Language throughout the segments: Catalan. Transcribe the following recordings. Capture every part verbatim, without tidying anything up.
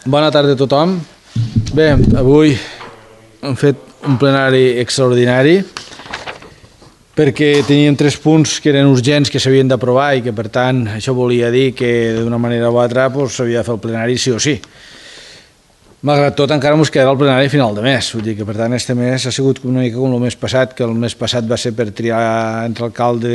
Bona tarda a tothom. Bé, avui hem fet un plenari extraordinari perquè teníem tres punts que eren urgents, que s'havien d'aprovar i que, per tant, això volia dir que d'una manera o altra s'havia de fer el plenari sí o sí. Malgrat tot, encara ens quedarà el plenari a final de mes. Vull dir que, per tant, este mes ha sigut una mica com el mes passat, que el mes passat va ser per triar entre alcalde,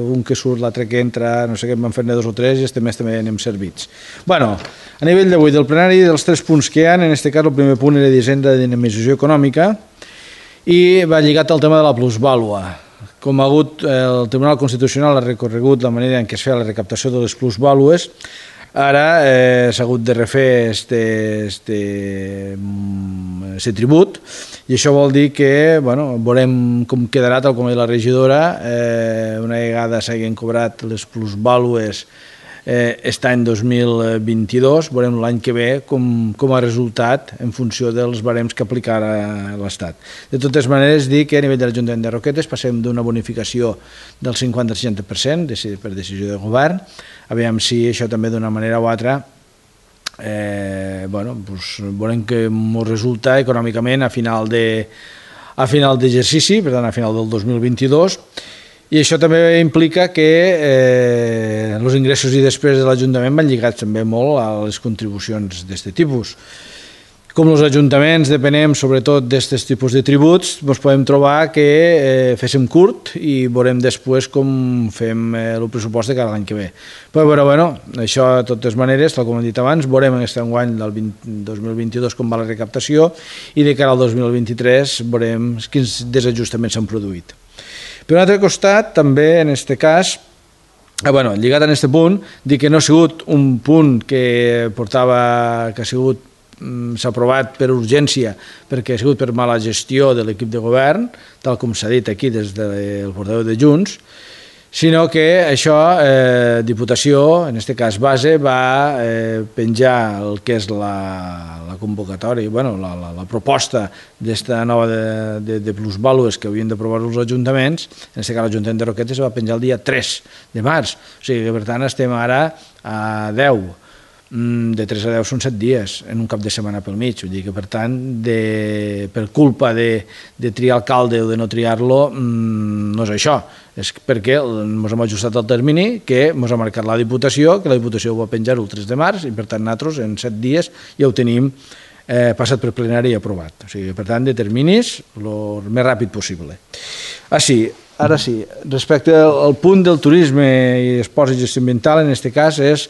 un que surt, l'altre que entra, no sé què, en van fer-ne dos o tres, i este mes també anem servits. Bueno, a nivell d'avui del plenari, dels tres punts que hi ha, en aquest cas el primer punt era d'Hisenda de dinamització econòmica i va lligat al tema de la plusvàlua. Com ha hagut, el Tribunal Constitucional ha recorregut la manera en què es feia la recaptació de les plusvàlues. Ara eh, s'ha hagut de refer este, este, este tribut i això vol dir que bueno, veurem com quedarà, tal com ha dit la regidora, eh, una vegada s'hagin cobrat les plusvàlues eh, aquest any dos mil vint-i-dos, veurem l'any que ve com, com ha resultat en funció dels barems que aplicarà l'Estat. De totes maneres, dir que a nivell de l'Ajuntament de Roquetes passem d'una bonificació del cinquanta-seixanta per cent per decisió de govern. Aviam si això també d'una manera o altra eh, bueno, doncs veurem que ens resulta econòmicament a final de, a final d'exercici, per tant a final del dos mil vint-i-dos, i això també implica que eh, els ingressos i despeses de l'Ajuntament van lligats també molt a les contribucions d'aquest tipus. Com els ajuntaments depenem sobretot d'aquests tipus de tributs, ens podem trobar que eh, féssim curt i veurem després com fem eh, el pressupost de cada any que ve. Però bueno, bueno, això de totes maneres, tal com hem dit abans, veurem en aquest enguany del dos mil vint-i-dos com va la recaptació i de cara al dos mil vint-i-tres veurem quins desajustaments s'han produït. Per un altre costat, també en aquest cas, eh, bueno, lligat a aquest punt, dir que no ha sigut un punt que portava, que ha sigut s'ha aprovat per urgència perquè ha sigut per mala gestió de l'equip de govern, tal com s'ha dit aquí des del portaveu de Junts, sinó que això, eh, Diputació, en aquest cas base, va eh, penjar el que és la, la convocatòria, bueno, la, la, la proposta d'esta nova de, de, de plusvàlues que havien d'aprovar els ajuntaments, en aquest cas l'Ajuntament de Roquetes va penjar el dia tres de març, o sigui que per tant estem ara a deu. De tres a deu són set dies en un cap de setmana pel mig, vull dir que per tant de, per culpa de, de triar alcalde o de no triar-lo no és això, és perquè ens hem ajustat al termini que ens ha marcat la Diputació, que la Diputació ho va penjar el tres de març i per tant nosaltres en set dies ja ho tenim eh, passat per plenari i aprovat, o sigui per tant de terminis el més ràpid possible. Ah sí, ara sí, respecte al punt del turisme i esports i gestió ambiental, en aquest cas és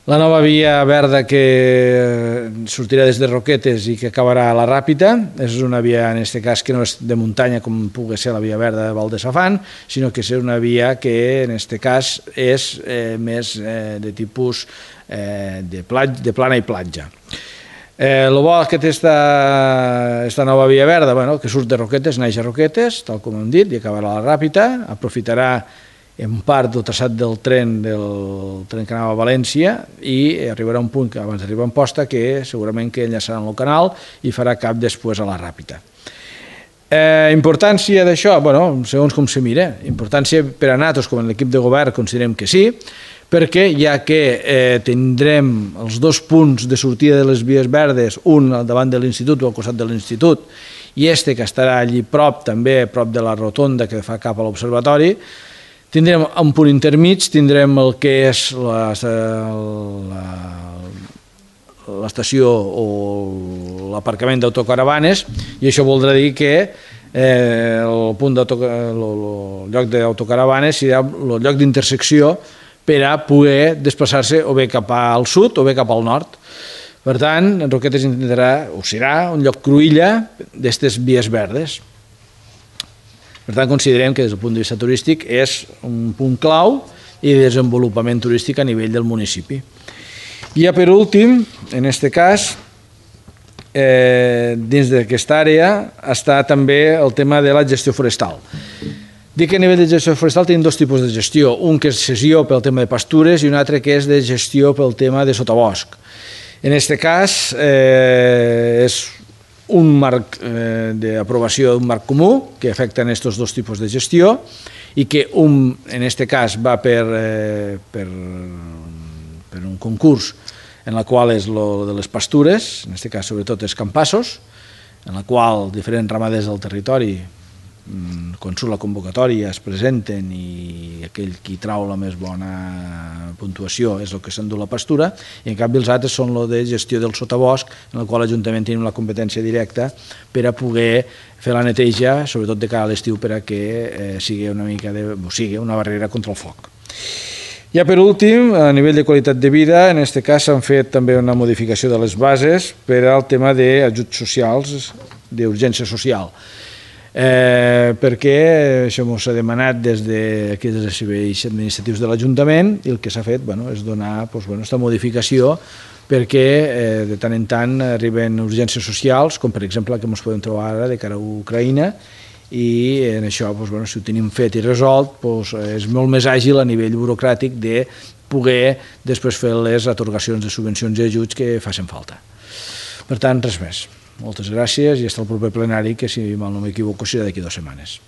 la nova via verda que sortirà des de Roquetes i que acabarà a la Ràpita. És una via, en aquest cas, que no és de muntanya com pugui ser la via verda de Val de Safant, sinó que és una via que, en aquest cas, és eh, més eh, de tipus eh, de, platja, de plana i platja. El eh, bo que té aquesta nova via verda, bueno, que surt de Roquetes, naix a Roquetes, tal com hem dit, i acabarà a la Ràpita, aprofitarà en part del traçat del tren, del tren que anava a València i arribarà un punt que abans d'arribar a Amposta que segurament que enllaçarà en el canal i farà cap després a la Ràpita. Eh, importància d'això, bueno, segons com se mira, importància per a nosaltres com a l'equip de govern considerem que sí, perquè ja que eh, tindrem els dos punts de sortida de les vies verdes, un al davant de l'institut o al costat de l'institut i este que estarà allí prop, també prop de la rotonda que fa cap a l'observatori, tindrem un punt intermig, tindrem el que és l'estació o l'aparcament d'autocaravanes i això voldrà dir que el punt el lloc d'autocaravanes serà el lloc d'intersecció per a poder desplaçar-se o bé cap al sud o bé cap al nord. Per tant, Roquetes intentarà, o serà, un lloc cruïlla d'aquestes vies verdes. Per tant, considerem que des del punt de vista turístic és un punt clau i de desenvolupament turístic a nivell del municipi. I ja per últim, en aquest cas, eh, dins d'aquesta àrea està també el tema de la gestió forestal. Dic que a nivell de gestió forestal tenim dos tipus de gestió, un que és cessió pel tema de pastures i un altre que és de gestió pel tema de sotabosc. En aquest cas, eh, és un marc eh, d'aprovació d'un marc comú que afecta aquests dos tipus de gestió i que un, en aquest cas va per, eh, per, per un concurs en la qual és lo de les pastures, en aquest cas sobretot els campassos, en la qual diferents ramaders del territori, quan surt la convocatòria, es presenten i aquell qui trau la més bona puntuació és el que s'endú la pastura, i en canvi els altres són el de gestió del sotabosc, en el qual l'Ajuntament tenim la competència directa per a poder fer la neteja, sobretot de cara a l'estiu, per a que eh, sigui una mica de, o sigui una barrera contra el foc. Ja per últim, a nivell de qualitat de vida, en aquest cas s'han fet també una modificació de les bases per al tema d'ajuts socials, d'urgència social. Eh, perquè això ens ha demanat des de, des dels serveis administratius de l'Ajuntament, i el que s'ha fet bueno, és donar doncs, bueno, aquesta modificació perquè eh, de tant en tant arriben urgències socials, com per exemple la que ens podem trobar ara de cara a Ucraïna, i en això, doncs, bueno, si ho tenim fet i resolt, doncs, és molt més àgil a nivell burocràtic de poder després fer les atorgacions de subvencions i ajuts que facin falta. Per tant, res més. Moltes gràcies i fins al proper plenari, que si mal no m'equivoco serà d'aquí dues setmanes.